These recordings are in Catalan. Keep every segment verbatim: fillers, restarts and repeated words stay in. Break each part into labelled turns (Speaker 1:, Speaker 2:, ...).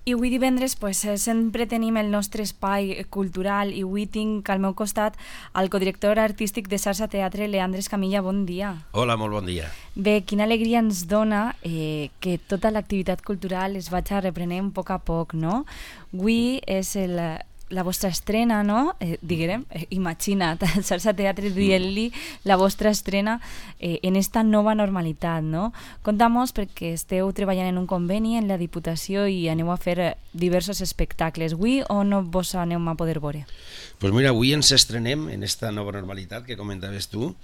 Speaker 1: I avui divendres pues, sempre tenim el nostre espai cultural i avui tinc al meu costat el codirector artístic de Sarsa Teatre, Leandre Escamilla. Bon dia.
Speaker 2: Hola, molt bon dia.
Speaker 1: Bé, quina alegria ens dona eh, que tota l'activitat cultural es vagi reprenent a poc a poc, no? Avui és el... la vostra estrena, no? Eh, diguem, eh, imagina't, el Sarsa Teatre dient-li la vostra estrena eh, en esta nova normalitat, no? Contamos perquè esteu treballant en un conveni en la Diputació i aneu a fer diversos espectacles. Avui o no vos aneu a poder veure?
Speaker 2: Pues mira, avui ens estrenem en esta nova normalitat que comentaves tu,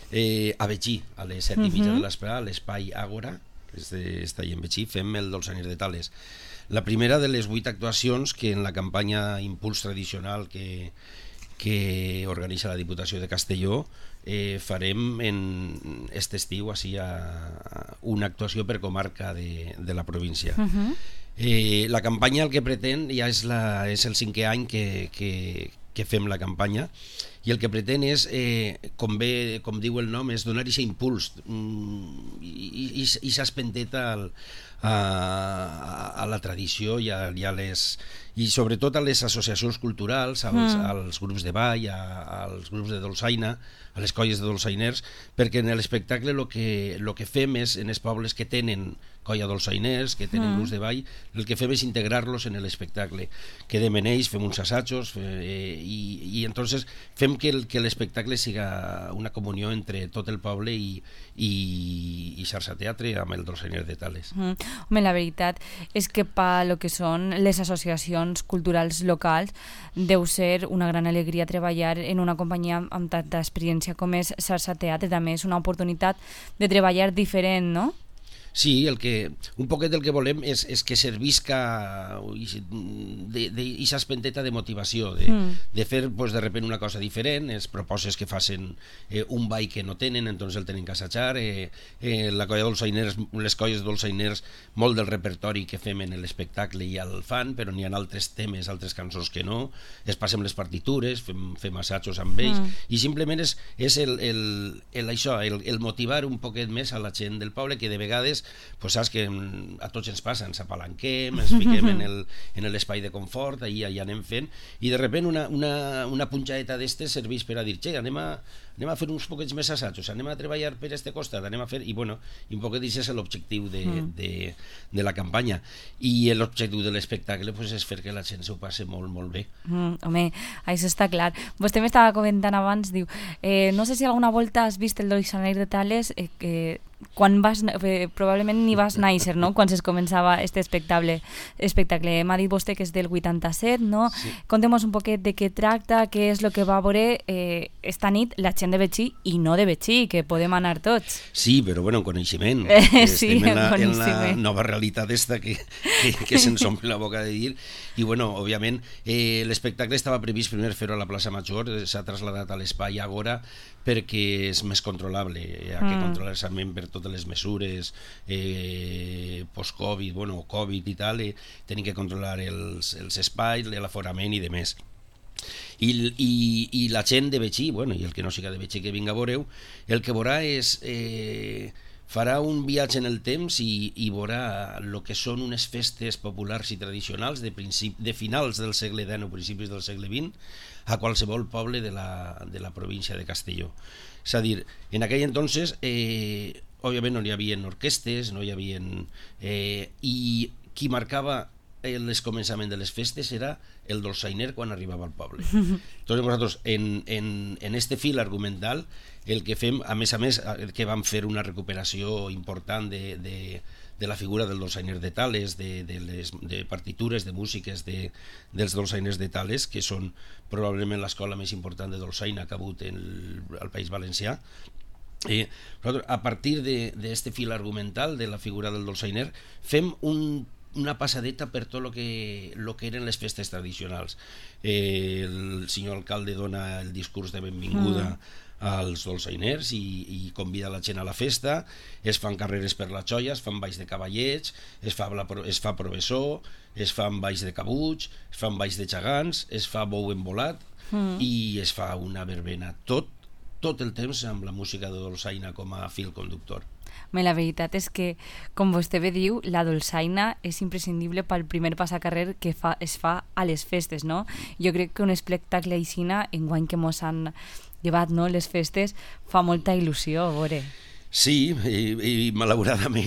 Speaker 2: eh, a Betxí, a les set i mitja de l'esprà, a l'espai Àgora, que està allà en Betxí, fem el Dolçainer de Tales. La primera de les vuit actuacions que en la campanya Impuls Tradicional que, que organitza la Diputació de Castelló eh, farem en este estiu així, a una actuació per comarca de, de la província. Uh-huh. eh, la campanya el que pretén ja és, la, és el cinquè any que, que, que fem la campanya i el que pretén és, eh, com, bé, com diu el nom, és donar aquest impuls mm, i, i, i s'espenteta al A, a la tradició i, a, i, a les, i sobretot a les associacions culturals, als, mm. als grups de ball, a, als grups de dolçaina, a les colles de dolçainers, perquè en l'espectacle el que, lo que fem és, en els pobles que tenen colla dolçainers, que tenen mm. grups de ball, el que fem és integrar-los en l'espectacle. Quedem en ells, fem uns assajos eh, i, i entonces fem que, el, que l'espectacle siga una comunió entre tot el poble i, i, i Sarsa Teatre amb el Dolçainer de Tales.
Speaker 1: Mm. Home, la veritat és que per lo que són les associacions culturals locals deu ser una gran alegria treballar en una companyia amb tanta experiència com és Sarsa Teatre. També és una oportunitat de treballar diferent, no?
Speaker 2: Sí, el que, un poquet el que volem és, és que servisca d'aquesta espenteta de motivació, de, mm. de fer pues, de repente una cosa diferent, es proposes que facin eh, un ball que no tenen, entonces el tenen que assajar, eh, eh, la colla dolçainers, les colles dolçainers, molt del repertori que fem en l'espectacle ja el fan, però n'hi ha altres temes, altres cançons que no, es passem les partitures, fem, fem assajos amb ells, mm. i simplement és, és el, el, el, això, el, el motivar un poquet més a la gent del poble, que de vegades pues saps que a tots ens passa, ens apalanquem, ens fiquem en, el, en l'espai de confort, ahir ja anem fent, i de sobte una, una, una punxadeta d'estes serveix per a dir, che, anem a, anem a fer uns poquets més assajos, anem a treballar per este costat, anem a fer, i bueno, i un poquet això és l'objectiu de, mm. de, de la campanya, i l'objectiu de l'espectacle pues, és fer que la gent s'ho passi molt, molt bé.
Speaker 1: Mm, home, això està clar. Vostè m'estava comentant abans, diu, eh, no sé si alguna volta has vist el Dolçainer de Tales, eh, que quan vas, eh, probablement ni vas néixer, no?, quan es començava este espectacle. espectacle. M'ha dit vostè que és del vuitanta-set, no? Sí. Contem-nos un poquet de què tracta, què és el que va veure eh, esta nit la gent de Betxí i no de Betxí, que podem anar tots.
Speaker 2: Sí, però bueno, en coneixement.
Speaker 1: Eh, sí,
Speaker 2: Estem en la,
Speaker 1: en
Speaker 2: en la nova realitat esta que, que, que se'ns omple la boca de dir, i bueno, òbviament, eh, l'espectacle estava previst primer fer-ho a la plaça Major, s'ha traslladat a l'espai Àgora, perquè és més controlable, hi ha que mm. controlar-se per totes les mesures eh, post-Covid, bueno, Covid i tal, eh, tenim que controlar els, els espais, l'aforament i de més. I, i, i la gent de Betxí, bueno, i el que no siga de Betxí que vinga a veureu, el que veurà és... Eh, farà un viatge en el temps i, i veurà el que són unes festes populars i tradicionals de, princip, de finals del segle deu o principis del segle vint a qualsevol poble de la, de la província de Castelló. És a dir, en aquell entonces, eh, òbviament no hi havia orquestes, no hi havia... Eh, I qui marcava el començament de les festes era el dolçainer quan arribava al poble. Entonces nosaltres en, en, en este fil argumental el que fem, a més a més, el que vam fer una recuperació important de, de, de la figura del dolçainer de Tales, de, de, les, de partitures, de músiques de, dels dolçainers de Tales, que són probablement l'escola més important de dolçaina que ha hagut en el, al País Valencià. Eh, a partir d'aquest fil argumental de la figura del dolçainer fem un una passadeta per tot el que, lo que eren les festes tradicionals. Eh, el senyor alcalde dona el discurs de benvinguda mm. als dolçainers i, i convida la gent a la festa, es fan carreres per la xoia, es fan balls de cavallets, es fa, la, es fa professó, es fan balls de cabuig, es fan balls de gegants, es fa bou embolat mm. i es fa una verbena. Tot, tot el temps amb la música de dolçaina com a fil conductor.
Speaker 1: Bé, la veritat és que, com vostè bé diu, la dolçaina és imprescindible pel primer passacarrer que fa, es fa a les festes, no? Jo crec que un espectacle aixina, enguany que mos han llevat, no, les festes, fa molta il·lusió, a veure.
Speaker 2: Sí, i, i malauradament,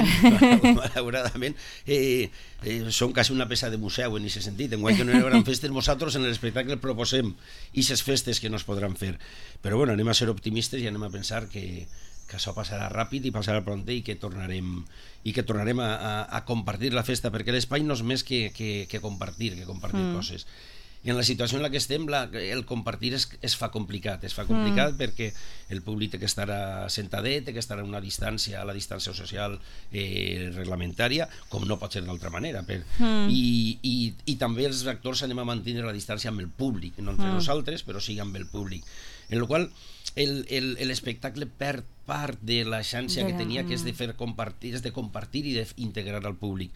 Speaker 2: malauradament eh, eh, som quasi una peça de museu en aquest sentit. Enguany que no hi haurà festes, nosaltres en l'espectacle proposem aquestes festes que no es podran fer. Però bueno, anem a ser optimistes i anem a pensar que, que això passarà ràpid i passarà prompte i que tornarem, i que tornarem a, a, a compartir la festa, perquè l'espai no és més que, que, que compartir, que compartir mm. coses. I en la situació en la que estem, la, el compartir es, es fa complicat, es fa complicat mm. perquè el públic té que estar sentadet, té que estar a una distància, a la distància social eh, reglamentària, com no pot ser d'altra manera. Per, mm. i, i, I també els actors anem a mantenir la distància amb el públic, no entre mm. nosaltres, però sí amb el públic. En la qual l'espectacle perd part de la xància que tenia, que és de fer compartir, és de compartir i d'integrar al públic.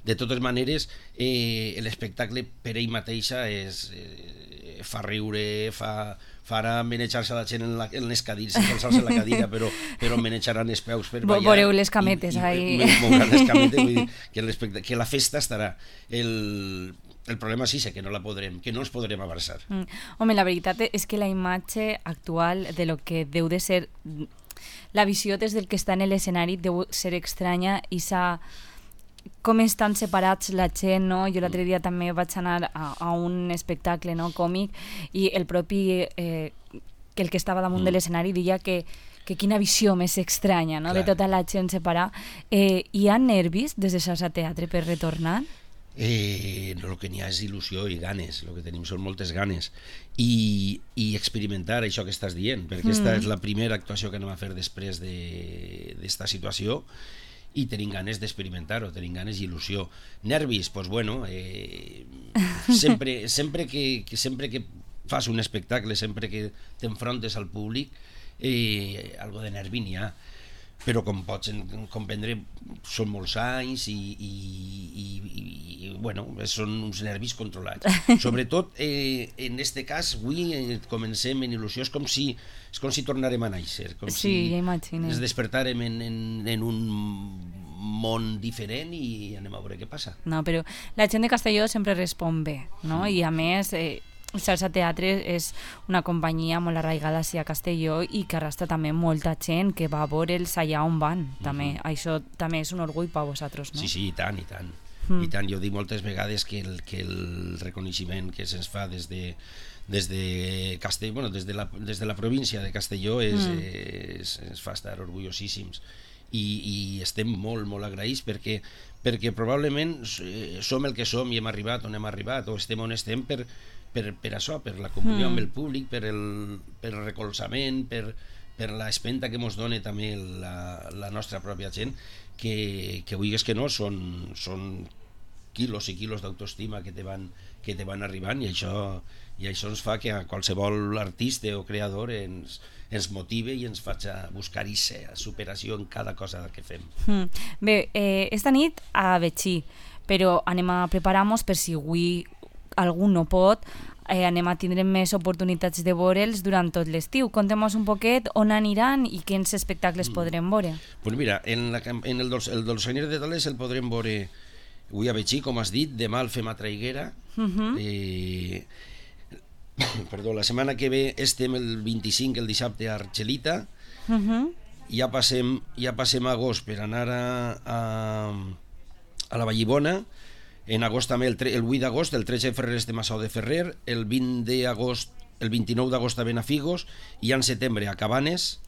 Speaker 2: De totes maneres, eh, l'espectacle per ell mateixa és, eh, fa riure, fa, farà manejar-se la gent en, la, en les cadires, sense alçar-se la cadira, però, però manejaran els peus per ballar.
Speaker 1: Veureu les cametes, i, ahí.
Speaker 2: I, mouran les cametes, vull dir, que, que la festa estarà. El, el problema sí és que no la podrem, que no ens podrem abraçar.
Speaker 1: Mm. Home, la veritat és que la imatge actual de lo que deu de ser... La visió des del que està en l'escenari deu ser estranya i s'ha... com estan separats la gent, no? Jo l'altre dia també vaig anar a, a un espectacle, no, còmic, i el propi eh, que el que estava damunt mm. de l'escenari deia que, que quina visió més estranya, no? De tota la gent separada. Eh, hi ha nervis des de Salsa Teatre per retornar?
Speaker 2: Eh, no, el que n'hi ha és il·lusió i ganes, el que tenim són moltes ganes i, i experimentar això que estàs dient, perquè aquesta mm. és la primera actuació que anem a fer després d'esta situació i tenim ganes d'experimentar-ho, tenim ganes i il·lusió. Nervis, doncs bueno, eh, sempre, sempre, que, que, sempre que fas un espectacle, sempre que t'enfrontes al públic, eh, algo de nervi n'hi ha. Però com pots comprendre, són molts anys i, i, i, i bueno, són uns nervis controlats. Sobretot, eh, en aquest cas, avui eh, comencem en il·lusió, és com si, és com si tornarem a néixer, com
Speaker 1: sí,
Speaker 2: si
Speaker 1: ja imagino.
Speaker 2: Ens despertarem en, en, en un món diferent i anem a veure què passa.
Speaker 1: No, però la gent de Castelló sempre respon bé, no? I a més... Eh, Salsa Teatre és una companyia molt arraigada a Castelló i que arrastra també molta gent que va a veure'ls allà on van. També. Mm-hmm. Això també és un orgull per vosaltres, no?
Speaker 2: Sí, sí, i tant, i tant. Mm. I tant, jo dic moltes vegades que el, que el reconeixement que se'ns fa des de, des de Castelló, bueno, des de la, des de la província de Castelló és, mm. és, ens fa estar orgullosíssims. I, i estem molt, molt agraïts perquè, perquè probablement som el que som i hem arribat on hem arribat o estem on estem per, per, per això, per la comunió mm. amb el públic, per el, per el recolzament, per, per l'espenta que ens dona també la, la nostra pròpia gent, que, que vulguis que no, són, són quilos i quilos d'autoestima que te van, que te van arribant i això, i això ens fa que a qualsevol artista o creador ens, ens motive i ens faci a buscar aquesta superació en cada cosa que fem.
Speaker 1: Mm. Bé, eh, esta nit a Betxí, però anem a preparar-nos per si avui algú no pot, eh, anem a tindre més oportunitats de veure'ls durant tot l'estiu. Contem-nos un poquet on aniran i quins espectacles mm. podrem veure.
Speaker 2: Pues mira, en, la, en el, dolç, el Dolçainer de Tales el podrem veure avui a Betxí, com has dit, demà el fem a Traiguera. Uh-huh. eh, perdó, la setmana que ve estem el vint-i-cinc, el dissabte, a Argelita. Uh-huh. Ja passem, ja passem a agost per anar a, a, a la Vallibona. En agost també, el, el vuit d'agost, el tretze de febrer estem a Sau de Ferrer, el vint d'agost, el vint-i-nou d'agost a Benafigos, i en setembre a Cabanes,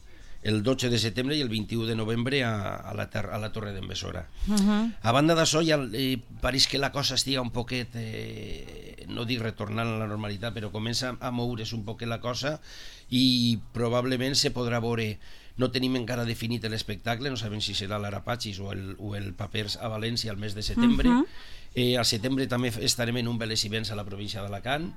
Speaker 2: el dotze de setembre i el vint-i-u de novembre a, a, la, ter, a la Torre d'en Besora. Uh-huh. A banda d'això, ja eh, pareix que la cosa estiga un poquet, eh, no dic retornant a la normalitat, però comença a moure's un poquet la cosa i probablement se podrà veure. No tenim encara definit l'espectacle, no sabem si serà l'Arapachis o el, o el Papers a València al mes de setembre. Uh-huh. Eh, al setembre també estarem en un Veles i Vents a la província d'Alacant.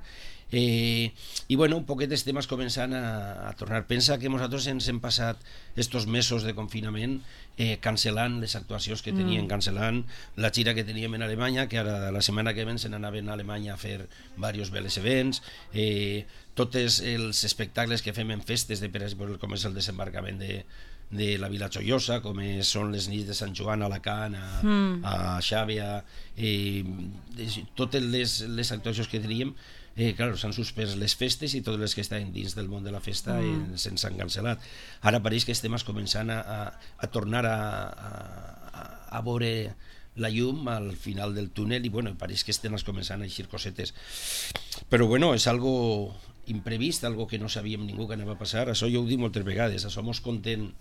Speaker 2: Eh, I bueno, un poquet estem començant a, a tornar. Pensa que nosaltres ens hem passat estos mesos de confinament eh, cancel·lant les actuacions que teníem, mm. cancel·lant la gira que teníem en Alemanya, que ara la setmana que ven se n'anaven a Alemanya a fer diversos Veles i Vents. Eh, tots els espectacles que fem en festes, de, per exemple, com és el desembarcament de de la Vila Joiosa, com és, són les nits de Sant Joan a Alacant, a,
Speaker 1: Mm.
Speaker 2: a Xàbia, eh, totes les, les actuacions que teníem, eh, clar, s'han suspès les festes i totes les que estaven dins del món de la festa
Speaker 1: Mm.
Speaker 2: eh, se'ns han cancel·lat. Ara pareix que estem començant a, a, a tornar a, a, a veure la llum al final del túnel i bueno, pareix que estem començant a eixir cosetes. Però bueno, és algo imprevist, algo que no sabíem ningú que anava a passar. Això jo ho dic moltes vegades, això mos conten,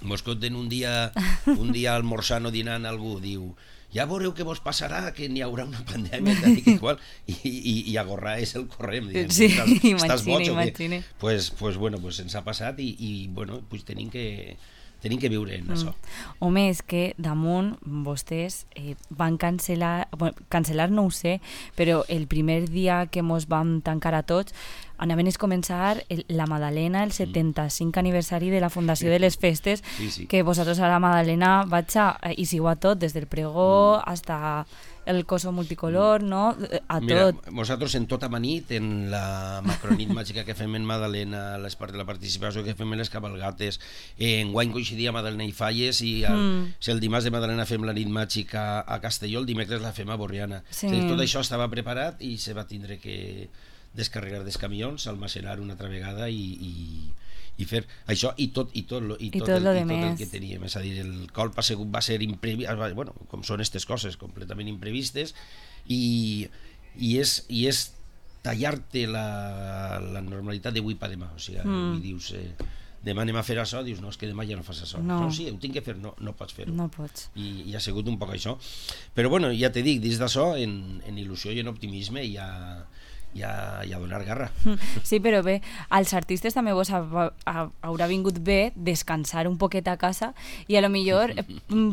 Speaker 2: mos conten un dia, un dia almorzant o dinant algú, diu, ja veureu què vos passarà, que n'hi haurà una pandèmia, tal i que igual, i, i, i agorrar és el corrent. Diguem,
Speaker 1: Sí,
Speaker 2: estàs,
Speaker 1: imagine,
Speaker 2: estàs boig,
Speaker 1: imagine.
Speaker 2: Pues, pues bueno, pues ens ha passat i, i bueno, pues tenim que tenim que viure en això.
Speaker 1: Mm. Home, és que damunt vostès eh, van cancel·lar, bueno, cancel·lar no ho sé, però el primer dia que mos vam tancar a tots anaven a començar el, la Madalena, el setanta-cinc aniversari de la Fundació de les Festes,
Speaker 2: Sí, sí.
Speaker 1: que vosaltres a la Madalena vaig a, i sigo a tot, des del pregó
Speaker 2: Mm.
Speaker 1: hasta el coso multicolor, no? A
Speaker 2: Mira,
Speaker 1: tot.
Speaker 2: nosaltres en tota manit, en la macronit màgica que fem en Madalena, les part de la participació que fem en les cabalgates, en guany coincidia Madalena i Falles i el,
Speaker 1: Mm.
Speaker 2: si el dimarts de Madalena fem la nit màgica a Castelló, el dimecres la fem a Borriana.
Speaker 1: Sí.
Speaker 2: O sigui, tot això estava preparat i se va tindre que descarregar dels camions, almacenar una altra vegada i, i, i fer això i tot, i tot, lo, i
Speaker 1: I
Speaker 2: tot,
Speaker 1: tot
Speaker 2: el,
Speaker 1: lo
Speaker 2: i
Speaker 1: de
Speaker 2: tot el
Speaker 1: més.
Speaker 2: que teníem. És a dir, el colp ha sigut, va ser imprevist, bueno, com són aquestes coses, completament imprevistes, i, i, és, i és tallar-te la, la normalitat d'avui per demà. O sigui,
Speaker 1: Mm.
Speaker 2: i dius, eh, demà anem a fer això, dius, no, és que demà ja no fas això.
Speaker 1: No.
Speaker 2: no sí, ho tinc que fer, no, no pots fer-ho.
Speaker 1: No pots.
Speaker 2: I, i ha sigut un poc això. Però bueno, ja te dic, dins d'això, en, en il·lusió i en optimisme i a, i a, i a donar garra.
Speaker 1: Sí, però bé, als artistes també vos ha, ha, haurà vingut bé descansar un poquet a casa i a lo millor eh,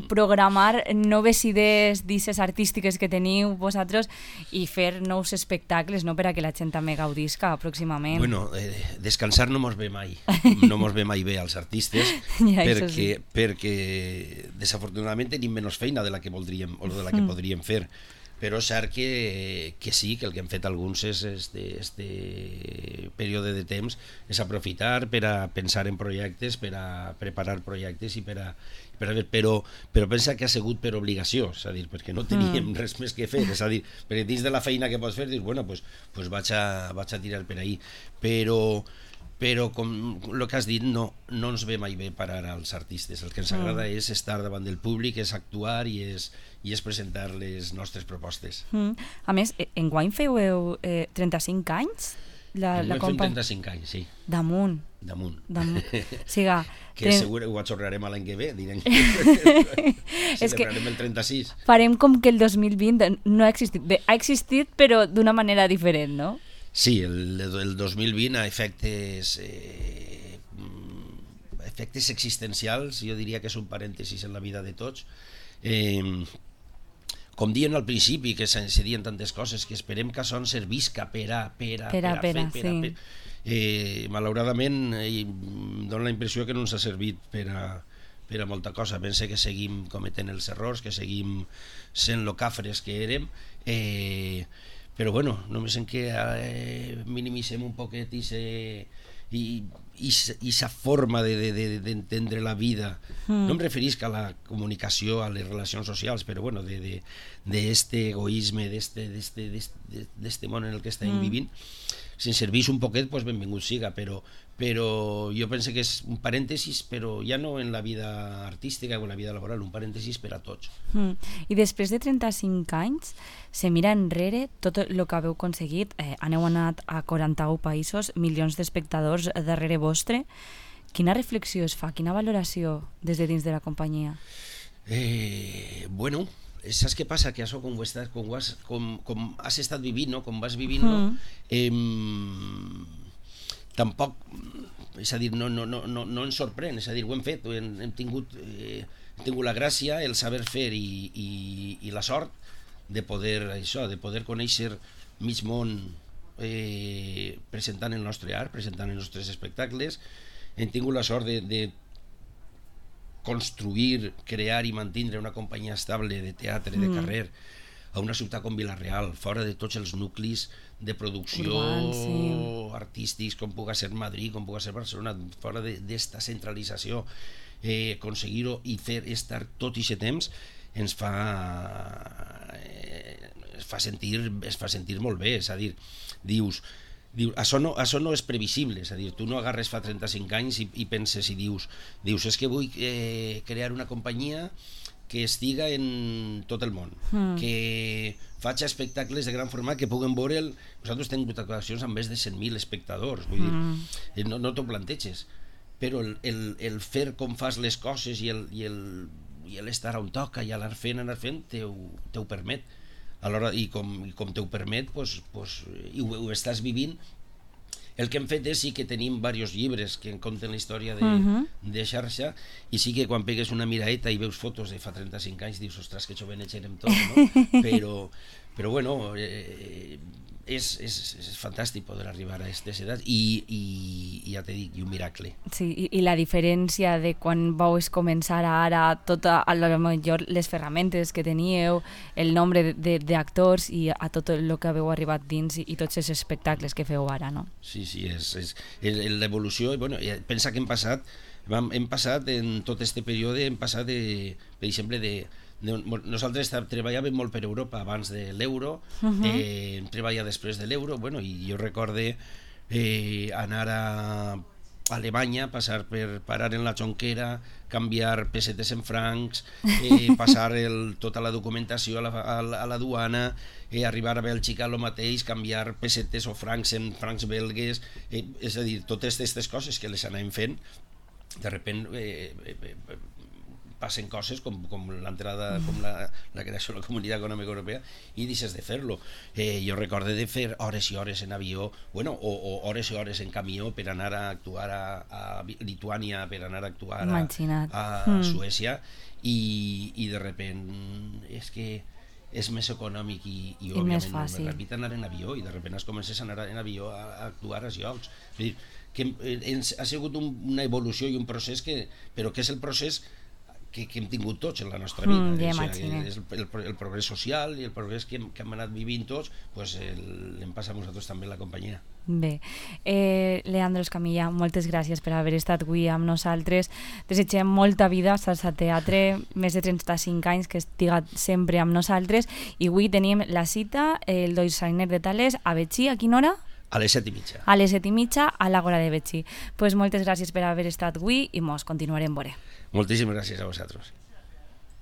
Speaker 1: programar noves idees d'isses artístiques que teniu vosaltres i fer nous espectacles, no, per a que la gent també gaudisca pròximament.
Speaker 2: Bueno, eh, descansar no mos ve mai, no mos ve mai bé als artistes,
Speaker 1: Ja, això
Speaker 2: perquè,
Speaker 1: sí.
Speaker 2: perquè desafortunadament tenim menys feina de la que voldríem o de la que
Speaker 1: Mm.
Speaker 2: podríem fer. Però és cert que, que sí, que el que han fet alguns és este, este període de temps és aprofitar per a pensar en projectes, per a preparar projectes i per a, per a ver, però, però pensa que ha sigut per obligació, és a dir, perquè no teníem
Speaker 1: Mm.
Speaker 2: res més que fer, és a dir, perquè dins de la feina que pots fer dius, bueno, pues, pues vaig, a, vaig a tirar per ahí, però però com el que has dit no, no ens ve mai bé parar als artistes, el que ens agrada
Speaker 1: Mm.
Speaker 2: és estar davant del públic, és actuar i és, i és presentar les nostres propostes.
Speaker 1: Mm. A més, eh, enguany feu eh, trenta-cinc anys? La,
Speaker 2: Hem
Speaker 1: la
Speaker 2: fet
Speaker 1: compa...
Speaker 2: trenta-cinc anys, sí,
Speaker 1: Damunt.
Speaker 2: damunt.
Speaker 1: Damunt. Siga,
Speaker 2: Que
Speaker 1: tren-
Speaker 2: segur ho atxorrarem a l'any que ve, direm.
Speaker 1: És que-
Speaker 2: Celebrarem el trenta-sis.
Speaker 1: farem com que el dos mil vint no ha existit. Bé, ha existit, però d'una manera diferent, no?
Speaker 2: Sí, el, el dos mil vint a efectes eh, mm, efectes existencials, jo diria que és un parèntesis en la vida de tots. Eh, com diuen al principi, que se, se diuen tantes coses, que esperem que això ens servisca per a, per a,
Speaker 1: Per a, per a,
Speaker 2: fer, per a,
Speaker 1: sí.
Speaker 2: per a. Eh, malauradament, eh, em dóna la impressió que no ens ha servit per a, per a molta cosa. Pense que seguim cometent els errors, que seguim sent lo cafres que érem, eh, però bueno, només en que eh, minimitzem un poquet i se, i, i, i sa forma d'entendre de, de, de, la vida.
Speaker 1: Mm.
Speaker 2: No em referisc a la comunicació, a les relacions socials, però bueno, de, de, de este egoisme, d'este, d'este, d'este, d'este món en el que estem
Speaker 1: Mm.
Speaker 2: vivint. Si ens serveix un poquet, pues benvingut siga, però, però jo penso que és un parèntesis, però ja no en la vida artística o en la vida laboral, un parèntesis per a tots.
Speaker 1: Mm. I després de trenta-cinc anys, se mira enrere tot el que haveu aconseguit. Eh, aneu anat a quaranta-u països, milions d'espectadors darrere vostre. Quina reflexió es fa? Quina valoració des de dins de la companyia?
Speaker 2: Eh, bueno, saps què passa? Que això, com ho estàs, com, ho has, com, com has estat vivint, no? Com vas vivint, no?
Speaker 1: Mm.
Speaker 2: Eh, tampoc, és a dir, no, no, no, no, no ens sorprèn, és a dir, ho hem fet, hem, hem, tingut, eh, hem tingut la gràcia, el saber fer i, i, i la sort de poder, això, de poder conèixer mig món eh, presentant el nostre art, presentant els nostres espectacles. Hem tingut la sort de, de construir, crear i mantindre una companyia estable de teatre, de
Speaker 1: Mm.
Speaker 2: carrer, a una ciutat com Vila-real, fora de tots els nuclis de producció
Speaker 1: Urbans, sí.
Speaker 2: artístics, com pugui ser Madrid, com pugui ser Barcelona, fora d'esta centralització. eh, aconseguir-ho i fer estar tot aquest temps ens fa eh, es fa sentir es fa sentir molt bé, és a dir, dius Diu, això, no, això no és previsible, és a dir, tu no agarres fa trenta-cinc anys i, i penses i dius, dius és que vull eh, crear una companyia que estiga en tot el món, mm. que faci espectacles de gran format que puguen veure... El... Nosaltres tenim actuacions amb més de cent mil espectadors, vull mm. dir, no, no t'ho planteges, però el, el, el fer com fas les coses i el, i el, i l'estar on toca i anar fent, anar fent, te ho, te ho permet. Alhora, i com, i com te ho permet, pues, pues, i ho, ho estàs vivint. El que hem fet és sí que tenim diversos llibres que conten la història de, uh-huh. de xarxa, i sí que quan pegues una miraeta i veus fotos de fa trenta-cinc anys dius, ostres, que jovenets érem tots, no? Però, però bueno, eh, és, és, és fantàstic poder arribar a aquestes edats i, i, i ja t'he dit, i un miracle.
Speaker 1: Sí, i, i la diferència de quan vau començar a ara, tot a, a lo millor les ferramentes que teníeu, el nombre d'actors i a tot el que haveu arribat dins i, i tots els espectacles que feu ara, no?
Speaker 2: Sí, sí, és, és l'evolució. Bueno, pensa que hem passat, hem, hem passat en tot este període, hem passat, de, per exemple, de nosaltres treballàvem molt per Europa abans de l'euro, uh-huh. eh, treballàvem després de l'euro, bueno, i jo recorde eh, anar a Alemanya, passar per parar en la Jonquera, canviar pessetes en francs, eh, passar el, tota la documentació a la, a la, a la duana, eh, arribar a Bèlgica el mateix, canviar pessetes o francs en francs belgues, eh, és a dir, totes aquestes coses que les anàvem fent, de repent eh, eh, passen coses com, com l'entrada, com la, la creació de la Comunitat Econòmica Europea, i deixes de fer-lo. Eh, jo recorde de fer hores i hores en avió, bueno, o, o hores i hores en camió per anar a actuar a, a Lituània, per anar a actuar a, a mm. Suècia, i, i de repent és que és més econòmic i, i, I òbviament més ràpid anar en avió, i de repent es comences a anar en avió a, a actuar als llocs. Vull dir, que ens ha sigut un, una evolució i un procés que, però que és el procés que, que hem tingut tots en la nostra vida. Mm, ja o sigui, és el, el, el progrés social i el progrés que hem, que hem anat vivint tots, pues l'hem passat nosaltres també la companyia.
Speaker 1: Bé, eh, Leandro Escamilla, moltes gràcies per haver estat avui amb nosaltres. Desitgem molta vida a Salsa Teatre, més de trenta-cinc anys, que estiga sempre amb nosaltres, i avui tenim la cita, el Doixainer de Tales, a Betxí. A quina hora?
Speaker 2: A les set i mitja.
Speaker 1: A les set i mitja, a l'Àgora de Betxí. Pues moltes gràcies per haver estat avui i mos continuarem veure.
Speaker 2: Moltíssimes gràcies a vosaltres.